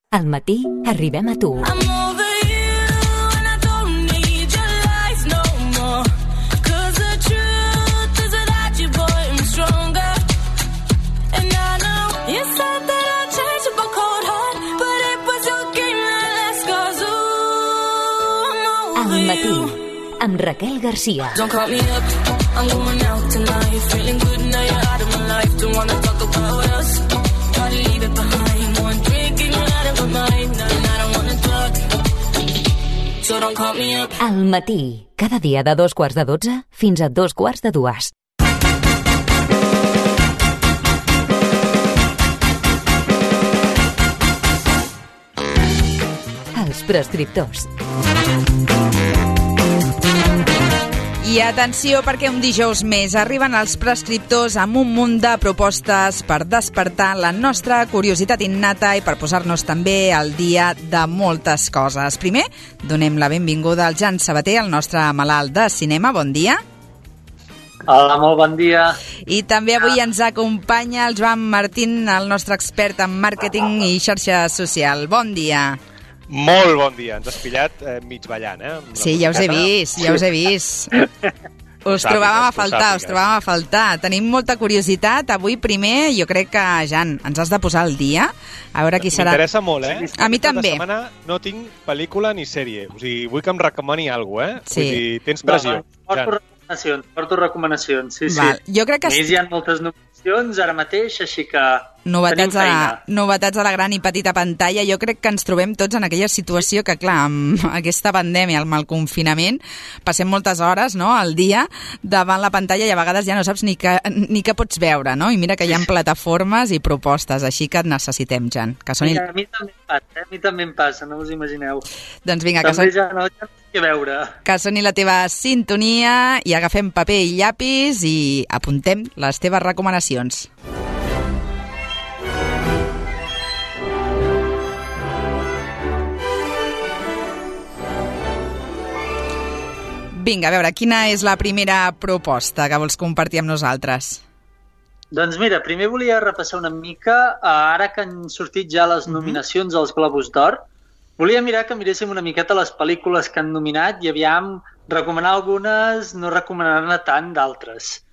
Al matí arribem a tu. Al matí, amb Raquel Garcia. Al matí, cada dia de 2:15 fins a 2:45. Els prescriptors. I atenció, perquè un dijous més arriben els prescriptors amb un munt de propostes per despertar la nostra curiositat innata i per posar-nos també al dia de moltes coses. Primer, donem la benvinguda al Jan Sabater, el nostre malalt de cinema. Bon dia. Hola, molt bon dia. I també avui ens acompanya el Joan Martín, el nostre expert en màrqueting i xarxa social. Bon dia. Molt bon dia, ens has pillat mig ballant, Sí, ja us he vist. Us trobàvem a faltar. Tenim molta curiositat. Avui primer, jo crec que, Jan, ens has de posar al dia. A veure qui serà. M'interessa molt, A mi també. Aquesta setmana no tinc pel·lícula ni sèrie. O sigui, vull que em recomani alguna cosa, Sí. Vull dir, tens pressió. Porto recomanacions, sí. Val. Jo crec que... A més, hi ha moltes nominacions ara mateix, així que Novetats tenim feina. Novetats a la gran i petita pantalla. Jo crec que ens trobem tots en aquella situació que, clar, amb aquesta pandèmia, amb el confinament, passem moltes hores, no?, al dia davant la pantalla i a vegades ja no saps ni què pots veure, no? I mira que hi ha plataformes i propostes, així que et necessitem, Jan. Que soni... A mi també em passa, no us imagineu. Doncs vinga, també ja no sé què veure. Que soni la teva sintonia i agafem paper i llapis i apuntem les teves recomanacions. Vinga, a veure, quina és la primera proposta que vols compartir amb nosaltres? Doncs mira, primer volia repassar una mica, ara que han sortit ja les nominacions als Globus d'Or, volia mirar que miréssim una miqueta les pel·lícules que han nominat i aviam recomanar algunes, no recomanar-ne tant d'altres.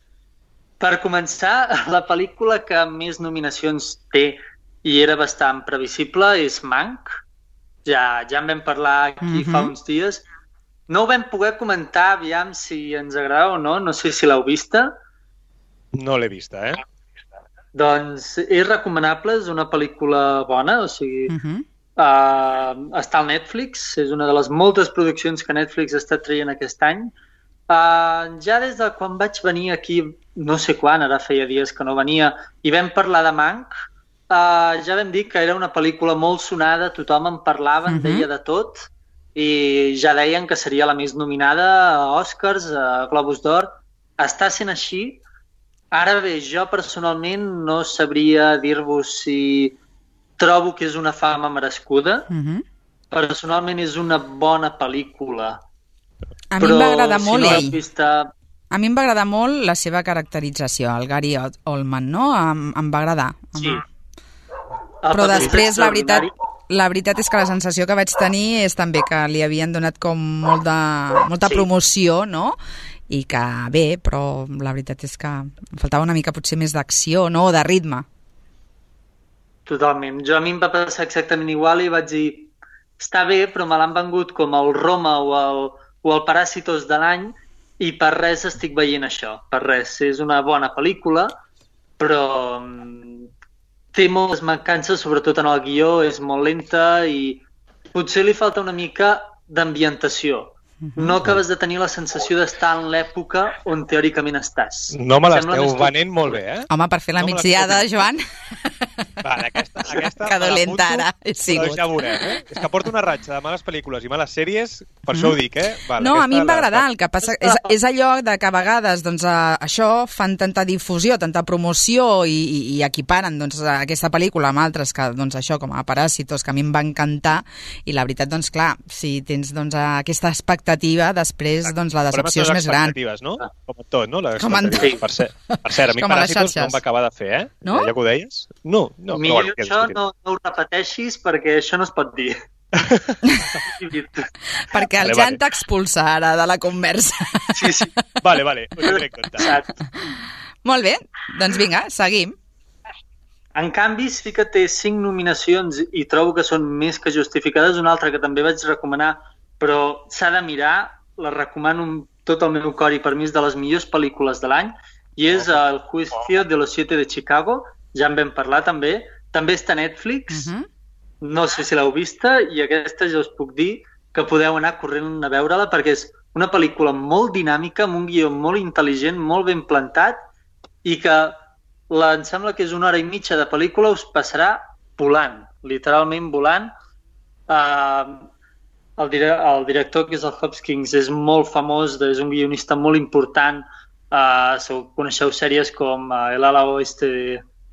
Per començar, la pel·lícula que més nominacions té i era bastant previsible és Mank. Ja en vam parlar aquí fa uns dies. No ho vam poder comentar, aviam si ens agrada o no, no sé si l'heu vista. No l'he vista, Doncs és recomanable, és una pel·lícula bona, o sigui, està al Netflix, és una de les moltes produccions que Netflix està traient aquest any. Ja des de quan vaig venir aquí, no sé quan, ara feia dies que no venia, i vam parlar de Mank, ja vam dir que era una pel·lícula molt sonada, tothom en parlava, en deia de tot, i ja deien que seria la més nominada a Oscars, a Globus d'Or. Està sent així. Ara bé, jo personalment no sabria dir-vos si trobo que és una fama merescuda. Personalment és una bona pel·lícula. A mi em va agradar molt ell. Vista... A mi em va agradar molt la seva caracterització, el Gary Oldman, no? Em va agradar. Sí. Però després, la veritat és que la sensació que vaig tenir és també que li havien donat com molta promoció, no? I que bé, però la veritat és que em faltava una mica potser més d'acció, no? O de ritme. Totalment. A mi em va passar exactament igual i vaig dir, està bé, però me l'han vengut com el Roma o el Paràsitos de l'any i per res estic veient això. Per res. És una bona pel·lícula, però té moltes mancances, sobretot en el guió, és molt lenta i potser li falta una mica d'ambientació. No acabes de tenir la sensació d'estar en l'època on teòricament estàs. No me l'esteu venent molt bé, Home, per fer la migdiada, Joan. Vale, aquesta que dolenta ara he sigut. Però ja veurem, És que porto una ratxa de males pel·lícules i males sèries, per això ho dic, Vale, no, a mi em va agradar, el que passa és allò de que a vegades doncs, això fan tanta difusió, tanta promoció i equiparen doncs, aquesta pel·lícula amb altres que, doncs, això, com a Paràsitos, que a mi em va encantar, i la veritat, doncs, clar, si tens doncs, aquesta expectativa l'expectativa, després doncs, la decepció és més gran. No? Com en tot, no? Com en tot. Per cert, a mi Paràsitos no em va acabar de fer, eh? No? Ja que ho deies? No. Millor això no ho repeteixis perquè això no es pot dir. Perquè el Jan t'expulsa ara de la conversa. Sí. Vale, ho tindré en compte. Molt bé, doncs vinga, seguim. En canvi, sí que té 5 nominacions i trobo que són més que justificades. Una altra que també vaig recomanar, però s'ha de mirar, la recomano amb tot el meu cor i per mi és de les millors pel·lícules de l'any, i és El juicio de los 7 de Chicago. Ja en vam parlar també. També està a Netflix. No sé si l'heu vista, i aquesta ja us puc dir que podeu anar corrent a veure-la perquè és una pel·lícula molt dinàmica, amb un guió molt intel·ligent, molt ben plantat, i que em sembla que és 1 hora i mitja de pel·lícula, us passarà volant, literalment volant. El director, que és el Hopkins, és molt famós, és un guionista molt important. Coneixeu sèries com El ala oeste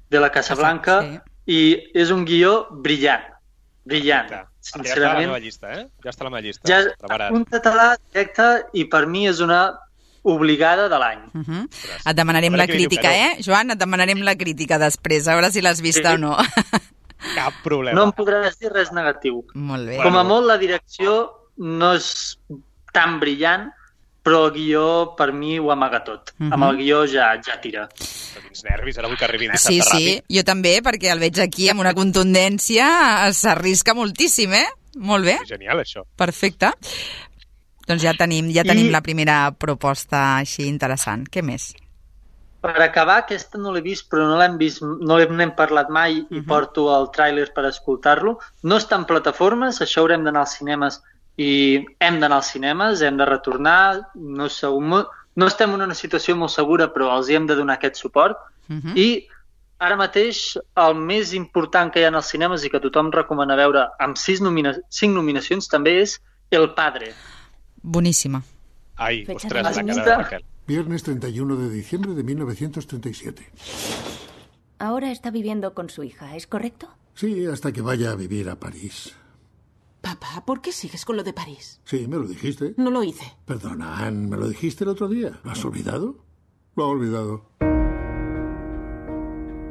de la Casa Blanca, i és un guió brillant. Sincerament. Ja està a la meva llista, eh? Ja està a la meva llista. Ja un català directe, i per mi és una obligada de l'any. Et demanarem la crítica, Joan? Et demanarem la crítica després, a veure si l'has vista o no. Cap problema. No em podràs dir res negatiu. Molt bé. Com a molt, la direcció no és tan brillant, però el guió, per mi, ho amaga tot. Amb el guió ja tira. Quins nervis, ara vull que arribi dissabte ràpid. Sí, jo també, perquè el veig aquí amb una contundència, s'arrisca moltíssim, Molt bé. Genial, això. Perfecte. Doncs ja tenim la primera proposta així interessant. Què més? Per acabar, aquesta no l'he vist, però no l'hem vist, no n'hem parlat mai, i porto el tràiler per escoltar-lo. No està en plataformes, això haurem d'anar als cinemes, i hem d'anar als cinemes, hem de retornar, no estem en una situació molt segura, però els hi hem de donar aquest suport. I ara mateix el més important que hi ha als cinemes i que tothom recomana veure amb 5 nominacions també és El Padre. Boníssima. Ai, ostres, la cara de Raquel. Viernes 31 de diciembre de 1937. Ahora está viviendo con su hija, ¿es correcto? Sí, hasta que vaya a vivir a París. Papá, ¿por qué sigues con lo de París? Sí, me lo dijiste. No lo hice. Perdona, Anne, me lo dijiste el otro día. ¿Lo has olvidado? Lo ha olvidado.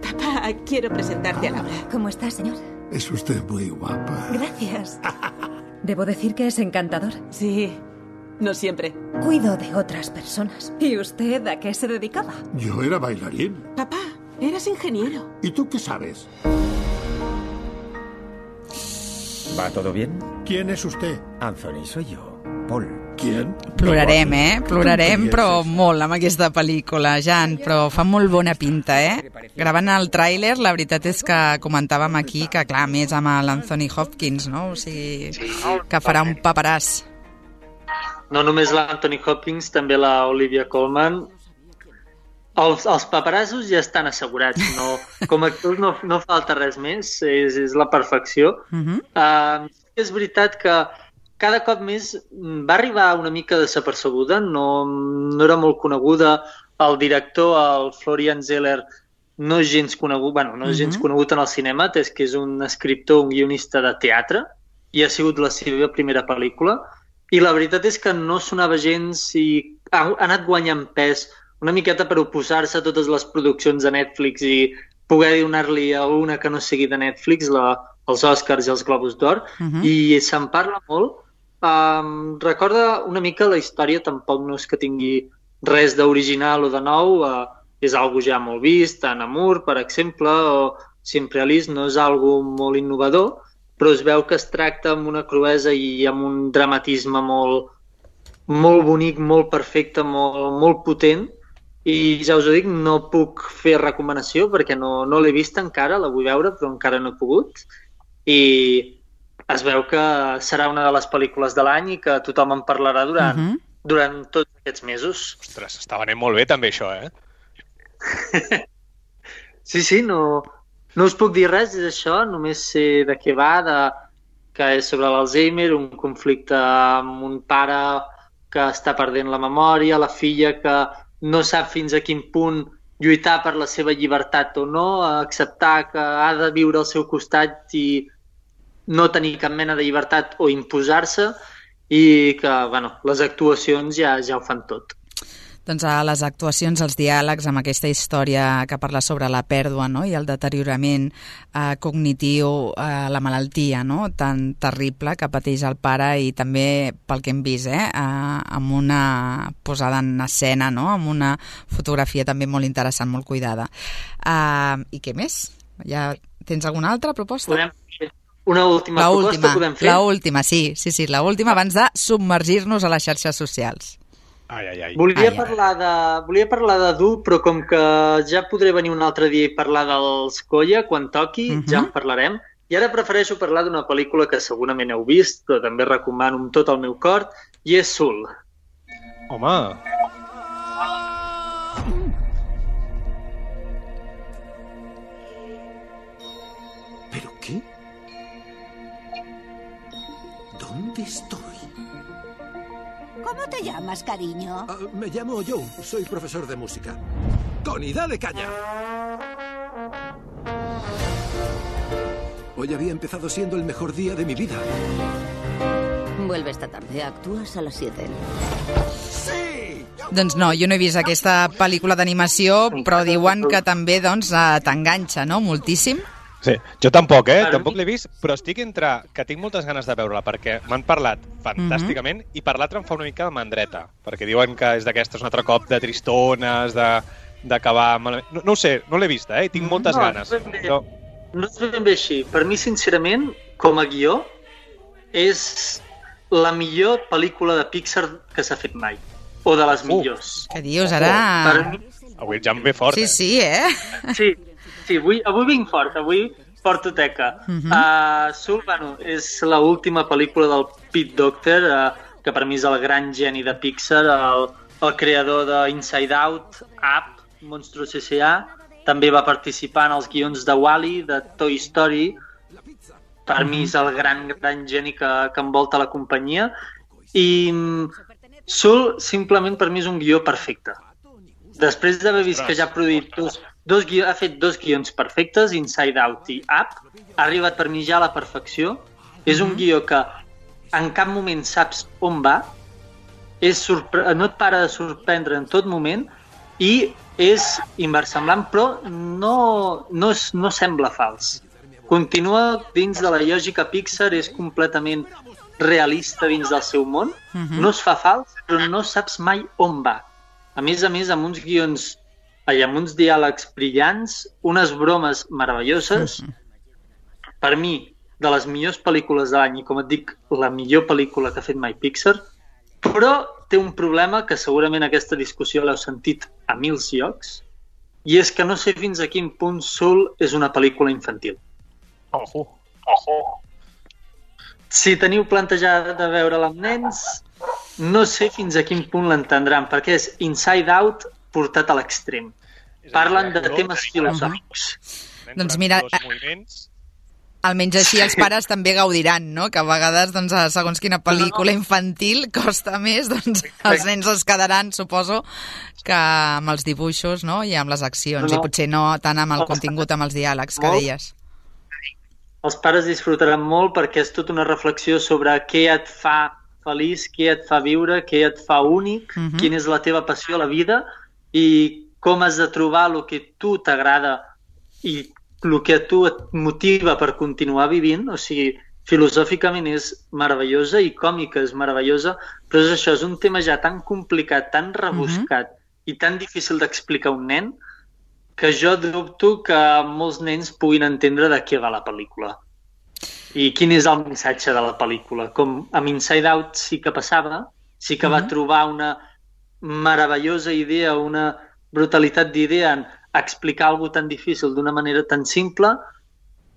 Papá, quiero presentarte a Laura. ¿Cómo está, señor? Es usted muy guapa. Gracias. Debo decir que es encantador. Sí, no siempre. Cuido de otras personas. ¿Y usted a qué se dedicaba? Yo era bailarín. Papá, eras ingeniero. ¿Y tú qué sabes? ¿Va todo bien? ¿Quién es usted? Anthony, soy yo. Paul. ¿Quién? Plorarem, Plorarem, però molt amb aquesta pel·lícula, Jan, però fa molt bona pinta, Gravant el tràiler, la veritat és que comentàvem aquí que, clar, més amb l'Anthony Hopkins, no? O sigui, que farà un paperàs. No només l'Anthony Hopkins, també la Olivia Colman. Els paperassos ja estan assegurats. Com a actors no falta res més, és la perfecció. És veritat que cada cop més va arribar una mica desapercebuda, no era molt coneguda. El director, el Florian Zeller, no és gens conegut, no és gens conegut en el cinema, atès que és un escriptor, un guionista de teatre, i ha sigut la seva primera pel·lícula. I la veritat és que no sonava gens i ha anat guanyant pes una miqueta per oposar-se a totes les produccions de Netflix i poder donar-li a una que no sigui de Netflix, els Oscars i els Globus d'Or, i se'n parla molt. Recorda una mica la història, tampoc no és que tingui res d'original o de nou, és algo ja molt vist, en Amour, per exemple, o Sempre Alice, no és algo molt innovador, però es veu que es tracta amb una cruesa i amb un dramatisme molt bonic, molt perfecte, molt potent, i ja us ho dic, no puc fer recomanació perquè no l'he vist encara, la vull veure, però encara no he pogut, i es veu que serà una de les pel·lícules de l'any i que tothom en parlarà durant tots aquests mesos. Ostres, està venent molt bé també això, Sí, no us puc dir res d'això, només sé de què va, que és sobre l'Alzheimer, un conflicte amb un pare que està perdent la memòria, la filla que no sap fins a quin punt lluitar per la seva llibertat o no, acceptar que ha de viure al seu costat i no tenir cap mena de llibertat o imposar-se, i que, les actuacions ja ho fan tot. Doncs a les actuacions, els diàlegs amb aquesta història que parla sobre la pèrdua, no? I el deteriorament cognitiu, la malaltia, no? Tan terrible que pateix el pare, i també pel que hem vist, amb una posada en escena, no? Amb una fotografia també molt interessant, molt cuidada. I què més? Ja tens alguna altra proposta? Una última proposta podem fer? L'última, sí, l'última abans de submergir-nos a les xarxes socials. Volia parlar de dur, però com que ja podré venir un altre dia i parlar dels Goya, quan toqui, ja en parlarem. I ara prefereixo parlar d'una pel·lícula que segurament heu vist, però també recomano amb tot el meu cor, i és Soul. Home! ¿Pero qué? ¿Dónde estoy? ¿Cómo te llamas, cariño? Me llamo Joe, soy profesor de música. Connie, dale caña. Hoy había empezado siendo el mejor día de mi vida. Vuelve esta tarde, actúas a las 7. Sí! Doncs no, jo no he vist aquesta pel·lícula d'animació, però diuen que també t'enganxa, no?, moltíssim. Sí, jo tampoc, tampoc l'he vist, però estic entre que tinc moltes ganes de veure-la, perquè m'han parlat fantàsticament i per l'altre em fa una mica de mandreta, perquè diuen que és d'aquestes un altre cop de tristones, d'acabar malament. No ho sé, no l'he vista, i tinc moltes ganes. No és ben bé així. Per mi, sincerament, com a guió, és la millor pel·lícula de Pixar que s'ha fet mai. O de les millors. Què dius, ara? Avui ja em ve fort, Sí, Sí, avui vinc fort, avui porto teca. Soul, és l'última pel·lícula del Pete Docter, que per mi és el gran geni de Pixar, el creador d'Inside Out, Up, Monstros S.A., també va participar en els guions de Wall-E, de Toy Story. Per mi és el gran geni que envolta la companyia. I Soul, simplement, per mi és un guió perfecte. Després d'haver vist que ja ha produït ha fet 2 guions perfectes, Inside Out i Up, ha arribat per mi ja a la perfecció. És un guió que en cap moment saps on va, no et para de sorprendre en tot moment i és inversemblant, però no sembla fals. Continua dins de la lògica Pixar, és completament realista dins del seu món, no es fa fals, però no saps mai on va. A més, amb uns guions amb uns diàlegs brillants, unes bromes meravelloses. Per mi, de les millors pel·lícules de l'any, i com et dic, la millor pel·lícula que ha fet mai Pixar, però té un problema que segurament aquesta discussió l'heu sentit a 1000 llocs, i és que no sé fins a quin punt Soul és una pel·lícula infantil. Ojo. Si teniu plantejat de veure-la amb nens, no sé fins a quin punt l'entendran, perquè és Inside Out portat a l'extrem. Parlen de temes filosòfics. Doncs mira, almenys així els pares també gaudiran, no? Que a vegades, segons quina pel·lícula infantil costa més, doncs els nens es quedaran, suposo, que amb els dibuixos, no? I amb les accions, i potser no tant amb el contingut, amb els diàlegs que deies. Els pares disfrutaran molt perquè és tota una reflexió sobre què et fa feliç, què et fa viure, què et fa únic, quina és la teva passió a la vida i com has de trobar el que a tu t'agrada i el que a tu et motiva per continuar vivint. O sigui, filosòficament és meravellosa i còmica és meravellosa, però és això, és un tema ja tan complicat, tan rebuscat i tan difícil d'explicar a un nen que jo dubto que molts nens puguin entendre de què va la pel·lícula. I quin és el missatge de la pel·lícula. Com amb Inside Out sí que passava, sí que va trobar una meravellosa idea, una brutalitat d'idea en explicar alguna tan difícil d'una manera tan simple,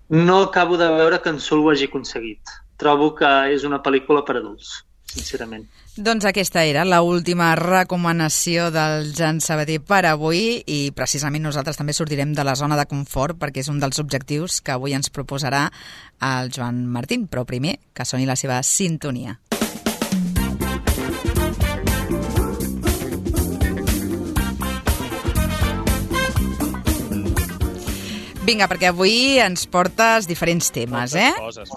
no acabo de veure que en Soul ho hagi aconseguit. Trobo que és una pel·lícula per adults, sincerament. Doncs aquesta era l'última recomanació del Jan Sabater per avui i precisament nosaltres també sortirem de la zona de confort perquè és un dels objectius que avui ens proposarà el Joan Martín, però primer que soni la seva sintonia. Vinga, perquè avui ens portes diferents temes,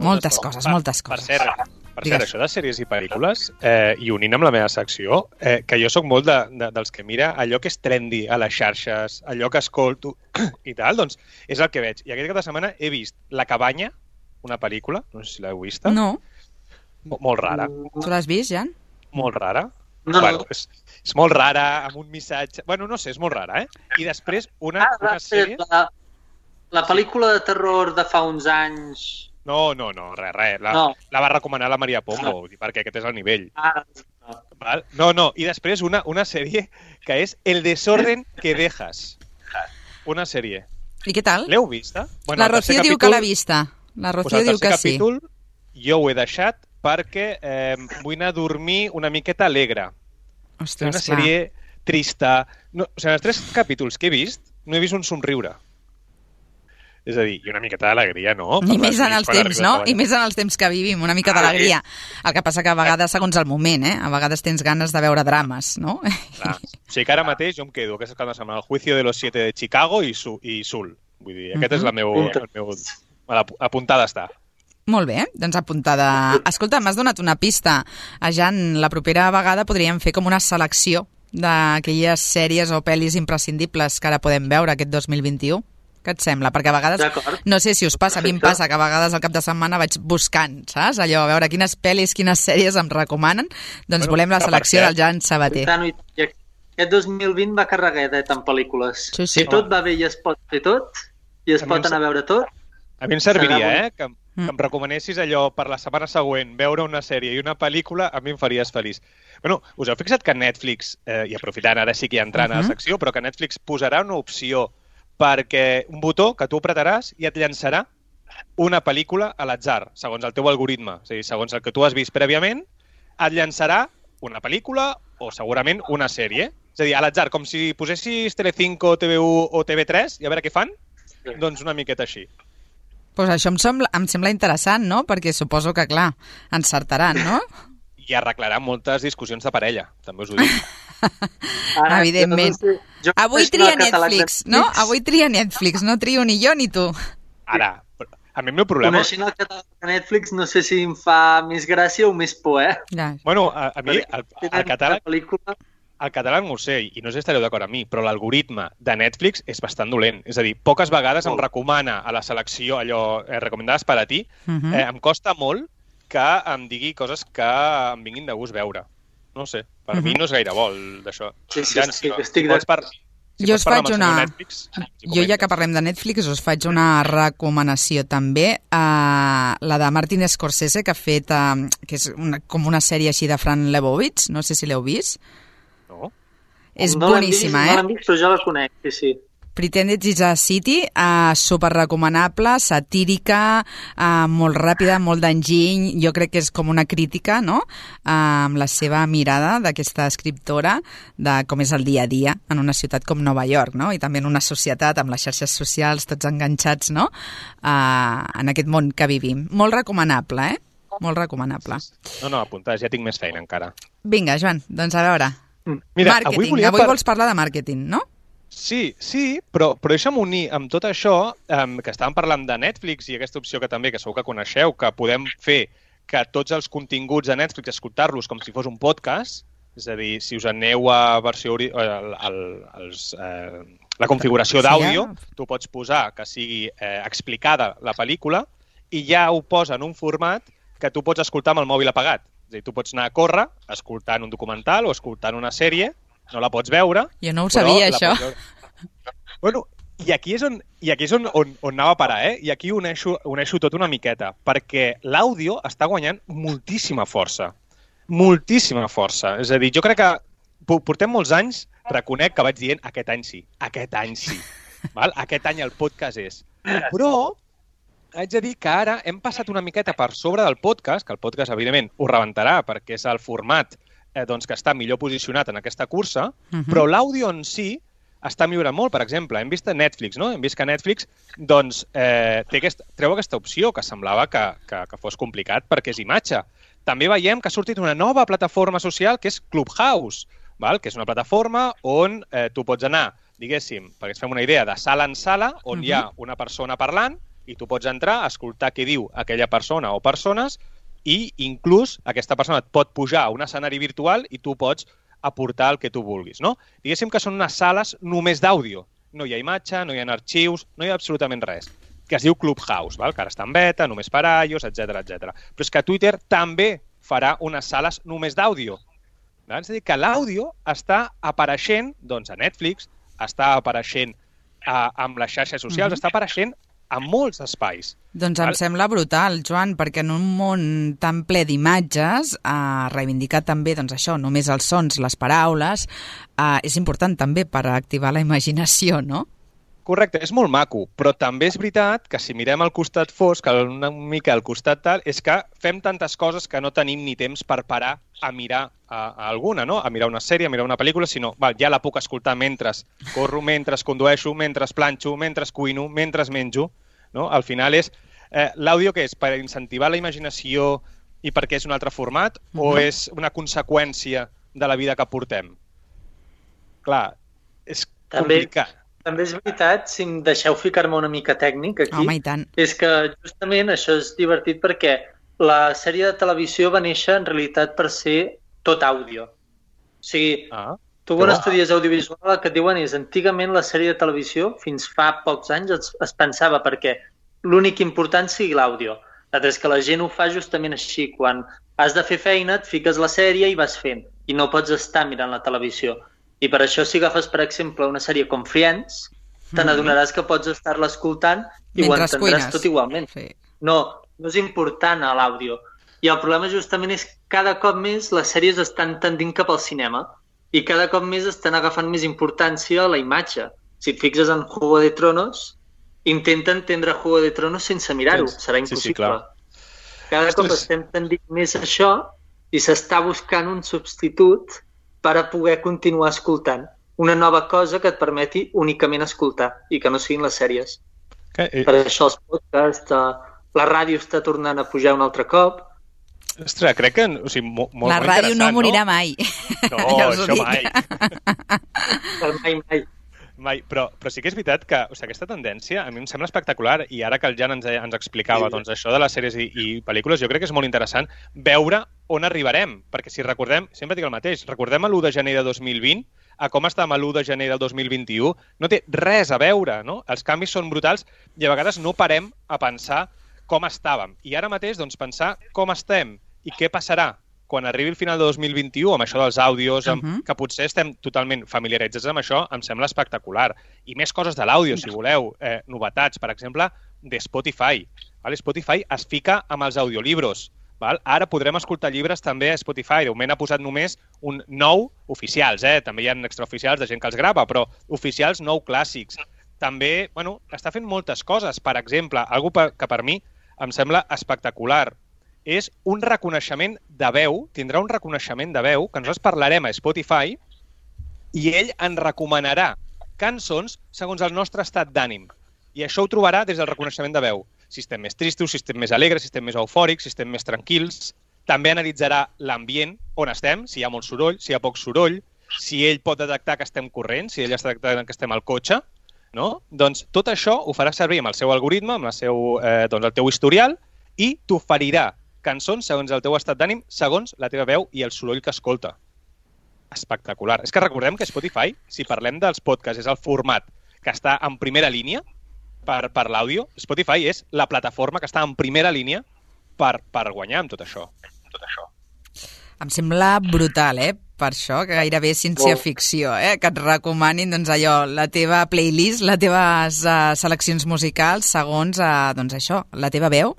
moltes coses. Per cert, Per cert, això de sèries i pel·lícules, i unint amb la meva secció, que jo sóc molt dels que mira allò que és trendy a les xarxes, allò que escolto i tal, doncs és el que veig. I aquest cap de setmana he vist La cabanya, una pel·lícula, no sé si l'heu vista. No. Molt rara. Tu l'has vist, Jan? Molt rara. No. Bueno, és molt rara, amb un missatge... Bueno, no sé, és molt rara, I després una sèrie... La pel·lícula de terror de fa uns anys... No, res. La va recomanar la Maria Pombo, perquè aquest és el nivell. Val? No. I després una sèrie que és El desorden que dejas. Una sèrie. I què tal? L'heu vista? Bueno, la Rocío diu que l'ha vista. La Rocío diu que sí. El tercer capítol jo ho he deixat perquè vull anar a dormir una miqueta alegre. Ostres, una sèrie trista. No, o sigui, els 3 capítols que he vist, no he vist un somriure. És a dir, i una miqueta d'alegria, no? I més en els temps, no? I més en els temps que vivim, una mica d'alegria. El que passa que a vegades, segons el moment, a vegades tens ganes de veure drames, no? Clar. O sigui que ara mateix jo em quedo, aquesta cap de setmana, El juicio de los 7 de Chicago i Sul. Vull dir, aquest és el meu... Apuntada està. Molt bé, doncs apuntada. Escolta, m'has donat una pista. A Jan, la propera vegada podríem fer com una selecció d'aquelles sèries o pel·lis imprescindibles que ara podem veure aquest 2021. Què et sembla? Perquè a vegades, no sé si us passa, a mi em passa que a vegades al cap de setmana vaig buscant, saps? Allò, a veure quines pel·lis, quines sèries em recomanen. Doncs volem la selecció del Jan Sabater. Aquest 2020 va carregadet en pel·lícules. Sí. Si tot va bé i es pot fer tot, i es pot anar a veure tot... A mi em serviria, que em recomanessis allò per la setmana següent, veure una sèrie i una pel·lícula, a mi em faries feliç. Bueno, us heu fixat que Netflix, i aprofitant ara sí que hi entrant a la secció, però que Netflix posarà una opció perquè un botó que tu apretaràs i et llançarà una pel·lícula a l'atzar, segons el teu algoritme. És a dir, segons el que tu has vist prèviament, et llançarà una pel·lícula o segurament una sèrie. És a dir, a l'atzar, com si posessis Telecinco, TV1 o TV3 i a veure què fan, doncs una miqueta així. Doncs això em sembla interessant, no? Perquè suposo que, clar, encertaran, no? I arreglarà moltes discussions de parella, també us ho dic. Evidentment. Avui tria Netflix, no? Avui tria Netflix, no trio ni jo ni tu. Ara, a mi el meu problema... Coneixent el català de Netflix, no sé si em fa més gràcia o més por, Bueno, a mi el català no ho sé, i no sé si estareu d'acord amb mi, però l'algoritme de Netflix és bastant dolent. És a dir, poques vegades em recomana a la selecció allò recomendades per a ti. Em costa molt que em digui coses que em vinguin de gust veure. No sé, per mi no és gaire bo d'això. Sí, estic d'acord. Jo us faig una... Jo, ja que parlem de Netflix, us faig una recomanació també. La de Martin Scorsese, que ha fet... que és com una sèrie així de Fran Lebowitz. No sé si l'heu vist. No. És boníssima, No l'hem vist, però ja la conec, sí. Pretended is a City, super recomanable, satírica, molt ràpida, molt d'enginy. Jo crec que és com una crítica, no?, amb la seva mirada d'aquesta escriptora de com és el dia a dia en una ciutat com Nova York, no?, i també en una societat amb les xarxes socials tots enganxats, no?, en aquest món que vivim. Molt recomanable, Molt recomanable. No, apuntats, ja tinc més feina encara. Vinga, Joan, doncs a veure. Mira, màrqueting. Avui vols parlar de màrqueting, no? Sí, però deixa'm unir amb tot això, que estàvem parlant de Netflix i aquesta opció que també, que segur que coneixeu, que podem fer que tots els continguts de Netflix escoltar-los com si fos un podcast, és a dir, si us aneu a versió la configuració d'àudio, tu pots posar que sigui explicada la pel·lícula i ja ho posa en un format que tu pots escoltar amb el mòbil apagat. És a dir, tu pots anar a córrer escoltant un documental o escoltant una sèrie, no la pots veure... Jo no ho sabia, això. Bueno, i aquí és on anava a parar, I aquí uneixo tot una miqueta, perquè l'àudio està guanyant moltíssima força. Moltíssima força. És a dir, jo crec que portem molts anys, reconec que vaig dient aquest any sí. Val? Aquest any el podcast és. Però haig de dir que ara hem passat una miqueta per sobre del podcast, que el podcast, evidentment, ho rebentarà perquè és el format que està millor posicionat en aquesta cursa, però l'àudio en si està millorant molt. Per exemple, hem vist a Netflix, no? Hem vist que Netflix treu aquesta opció que semblava que fos complicat perquè és imatge. També veiem que ha sortit una nova plataforma social que és Clubhouse, que és una plataforma on tu pots anar, diguéssim, perquè ens fem una idea, de sala en sala, on hi ha una persona parlant i tu pots entrar, escoltar què diu aquella persona o persones i inclús aquesta persona et pot pujar a un escenari virtual i tu pots aportar el que tu vulguis, no? Diguéssim que són unes sales només d'àudio. No hi ha imatge, no hi ha arxius, no hi ha absolutament res, que es diu Clubhouse, val? Que ara està en beta, només per iOS, etc etc. Però és que Twitter també farà unes sales només d'àudio. És a dir, que l'àudio està apareixent doncs, a Netflix, està apareixent amb les xarxes socials, està apareixent a molts espais. Doncs em sembla brutal, Joan, perquè en un món tan ple d'imatges, reivindicar també doncs, això, només els sons, les paraules, és important també per activar la imaginació, no? Correcte, és molt maco, però també és veritat que si mirem al costat fosc, una mica al costat tal, és que fem tantes coses que no tenim ni temps per parar a mirar a alguna, no? A mirar una sèrie, a mirar una pel·lícula, sinó ja la puc escoltar mentre corro, mentre condueixo, mentre planxo, mentre cuino, mentre menjo. No? Al final és l'àudio que és per incentivar la imaginació i perquè és un altre format o és una conseqüència de la vida que portem? Clar, és complicat. També és veritat, si em deixeu ficar-me una mica tècnic aquí, home, i tant. És que justament això és divertit perquè la sèrie de televisió va néixer en realitat per ser tot àudio. O sigui, tu quan estudies audiovisual el que et diuen és antigament la sèrie de televisió, fins fa pocs anys es pensava perquè l'únic important sigui l'àudio. És que la gent ho fa justament així. Quan has de fer feina et fiques la sèrie i vas fent i no pots estar mirant la televisió. I per això si agafes, per exemple, una sèrie com Friends, te n'adonaràs que pots estar-la escoltant i ho entendràs tot igualment. Sí. No és important l'àudio. I el problema justament és que cada cop més les sèries estan tendint cap al cinema i cada cop més estan agafant més importància a la imatge. Si et fixes en Juego de Tronos, intenta entendre Juego de Tronos sense mirar-ho. Serà impossible. Cada cop estem tendint més a això i s'està buscant un substitut per a poder continuar escoltant. Una nova cosa que et permeti únicament escoltar i que no siguin les sèries. Per això els podcasts, la ràdio està tornant a pujar un altre cop. Ostres, crec que... O sigui, molt la ràdio no morirà mai. No, ja això mai. Mai. Però sí que és veritat que aquesta tendència a mi em sembla espectacular i ara que el Jan ens explicava doncs, això de les sèries i pel·lícules, jo crec que és molt interessant veure on arribarem, perquè si recordem, sempre dic el mateix, recordem l'1 de gener de 2020 a com estàvem l'1 de gener del 2021, no té res a veure, no? Els canvis són brutals i a vegades no parem a pensar com estàvem. I ara mateix, doncs, pensar com estem i què passarà quan arribi el final de 2021, amb això dels àudios, que potser estem totalment familiaritzats amb això, em sembla espectacular. I més coses de l'àudio, si voleu. Novetats, per exemple, de Spotify. Spotify es fica amb els audiolibros. Ara podrem escoltar llibres també a Spotify. De moment ha posat només un 9 oficials. També hi ha extraoficials de gent que els grava, però oficials 9 clàssics. També, està fent moltes coses. Per exemple, algo que per mi em sembla espectacular és un reconeixement de veu, tindrà un reconeixement de veu, que nosaltres parlarem a Spotify i ell ens recomanarà cançons segons el nostre estat d'ànim. I això ho trobarà des del reconeixement de veu. Si estem més tristos, si estem més alegres, si estem més eufòrics, si estem més tranquils. També analitzarà l'ambient on estem, si hi ha molt soroll, si hi ha poc soroll, si ell pot detectar que estem corrents, si ell està detectant que estem al cotxe. No? Doncs tot això ho farà servir amb el seu algoritme, amb el teu historial, i t'oferirà cançons segons el teu estat d'ànim, segons la teva veu i el soroll que escolta. Espectacular. És que recordem que Spotify, si parlem dels podcasts, és el format que està en primera línia per l'àudio. Spotify és la plataforma que està en primera línia per guanyar amb tot això. Em sembla brutal, per això, que gairebé és ciència-ficció, que et recomanin doncs, allò, la teva playlist, les teves seleccions musicals segons doncs, això, la teva veu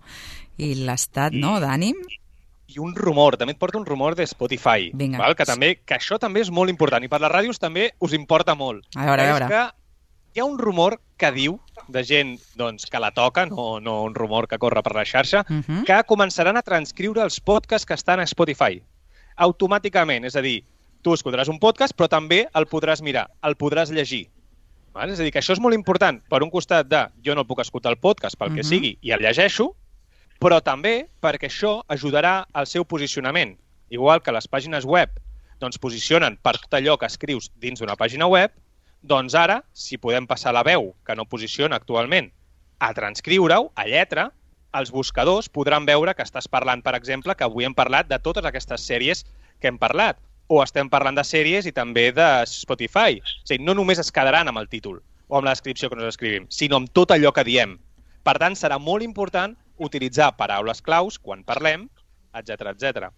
i l'estat d'ànim. I un rumor, també et porta un rumor de Spotify, que això també és molt important i per les ràdios també us importa molt. A veure. És que hi ha un rumor que diu, de gent que la toca, no un rumor que corre per la xarxa, que començaran a transcriure els podcasts que estan a Spotify automàticament. És a dir, tu escoltaràs un podcast, però també el podràs mirar, el podràs llegir. És a dir, que això és molt important. Per un costat jo no puc escoltar el podcast pel que sigui i el llegeixo, però també perquè això ajudarà al seu posicionament. Igual que les pàgines web posicionen per tot allò que escrius dins d'una pàgina web, doncs ara, si podem passar la veu, que no posiciona actualment, a transcriure-ho, a lletra, els buscadors podran veure que estàs parlant, per exemple, que avui hem parlat de totes aquestes sèries que hem parlat, o estem parlant de sèries i també de Spotify. O sigui, no només es quedaran amb el títol o amb la descripció que nos escrivim, sinó amb tot allò que diem. Per tant, serà molt important utilitzar paraules claus quan parlem, etc etc.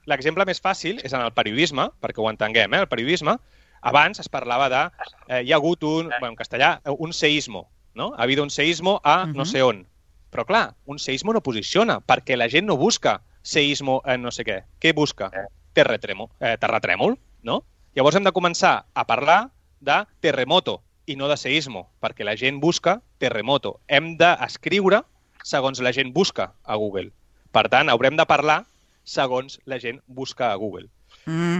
L'exemple més fàcil és en el periodisme, perquè ho entenguem, el periodisme. Abans es parlava de... hi ha hagut en castellà, un seísmo, no? Ha habido un seísmo a no sé on. Però clar, un seísmo no posiciona, perquè la gent no busca seísmo en no sé què. Què busca? Terratrèmol, no? Llavors hem de començar a parlar de terremoto i no de seísmo, perquè la gent busca terremoto. Hem d'escriure segons la gent busca a Google. Per tant, haurem de parlar segons la gent busca a Google.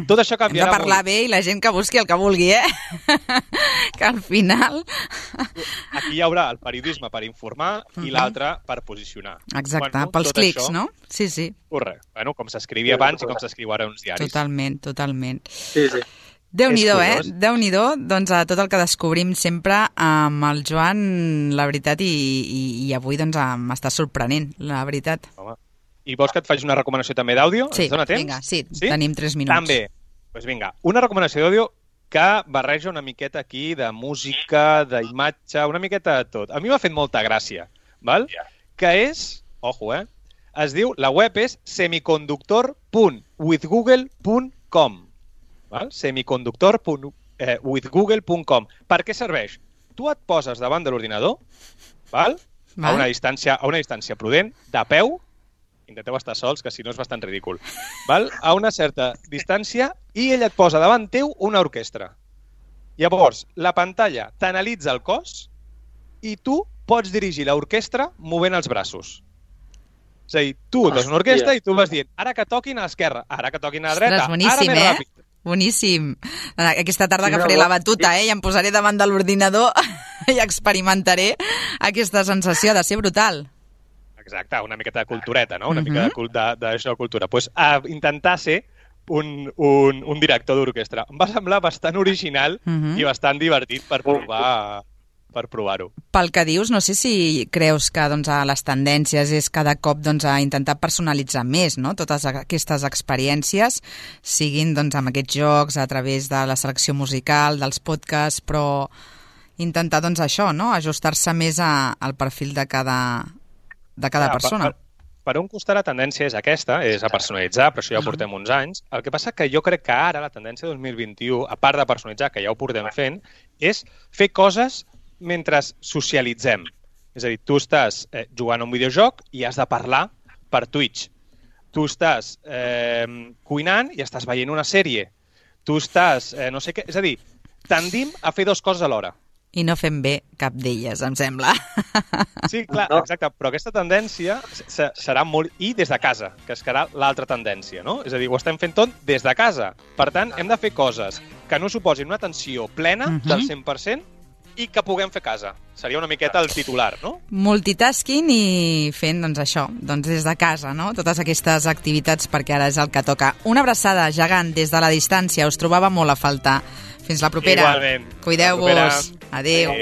Tot això canviarà. Hem de parlar bé i la gent que busqui el que vulgui, que al final... Aquí hi haurà el periodisme per informar i l'altre per posicionar. Exacte, pels clics, no? Sí, sí. Correcte. Bueno, com s'escrivia abans i com s'escriu ara uns diaris. Totalment, totalment. Sí, sí. Déu-n'hi-do, Déu-n'hi-do, doncs a tot el que descobrim sempre amb el Joan, la veritat, i avui doncs m'està sorprenent, la veritat. Home. I vols que et faci una recomanació també d'àudio? Sí, ens dona temps? Vinga, sí, tenim 3 minuts. També. Doncs vinga, una recomanació d'àudio que barreja una miqueta aquí de música, d'imatge, una miqueta de tot. A mi m'ha fet molta gràcia, val? Que és, ojo, es diu, la web és semiconductor.withgoogle.com, val? Semiconductor.withgoogle.com. Per què serveix? Tu et poses davant de l'ordinador, val? A una distància prudent, de peu. Intenteu estar sols, que si no és bastant ridícul. Val? A una certa distància i ell et posa davant teu una orquestra. Llavors, la pantalla t'analitza el cos i tu pots dirigir l'orquestra movent els braços. És a dir, tu tens una orquestra i tu vas dient ara que toquin a l'esquerra, ara que toquin a la dreta, ara més ràpid. Boníssim. Aquesta tarda que faré la batuta, i em posaré davant de l'ordinador i experimentaré aquesta sensació de ser brutal. Exacte, una miqueta de cultureta, no? Una mica d'això de cultura. Doncs intentar ser un director d'orquestra. Em va semblar bastant original i bastant divertit per provar-ho. Pel que dius, no sé si creus que doncs, les tendències és cada cop doncs, a intentar personalitzar més, no? Totes aquestes experiències, siguin doncs, amb aquests jocs, a través de la selecció musical, dels podcasts, però intentar doncs, això, no? Ajustar-se més al perfil de cada persona. Per un costat la tendència és aquesta, és a personalitzar, però això ja ho portem uns anys. El que passa que jo crec que ara la tendència 2021, a part de personalitzar, que ja ho portem fent, és fer coses mentre socialitzem. És a dir, tu estàs jugant a un videojoc i has de parlar per Twitch. Tu estàs cuinant i estàs veient una sèrie. Tu estàs no sé què... És a dir, tendim a fer 2 coses alhora. I no fem bé cap d'elles, em sembla. Sí, clar, exacte, però aquesta tendència serà molt... I des de casa, que serà l'altra tendència, no? És a dir, ho estem fent tot des de casa. Per tant, hem de fer coses que no suposin una atenció plena del 100% i que puguem fer a casa. Seria una miqueta el titular, no? Multitasking i fent, doncs, això, doncs des de casa, no? Totes aquestes activitats, perquè ara és el que toca. Una abraçada gegant des de la distància. Us trobava molt a faltar. Fins la propera. Igualment. Cuideu-vos. Adéu.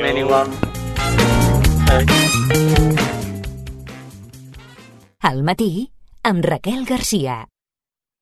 Al matí, amb Raquel Garcia.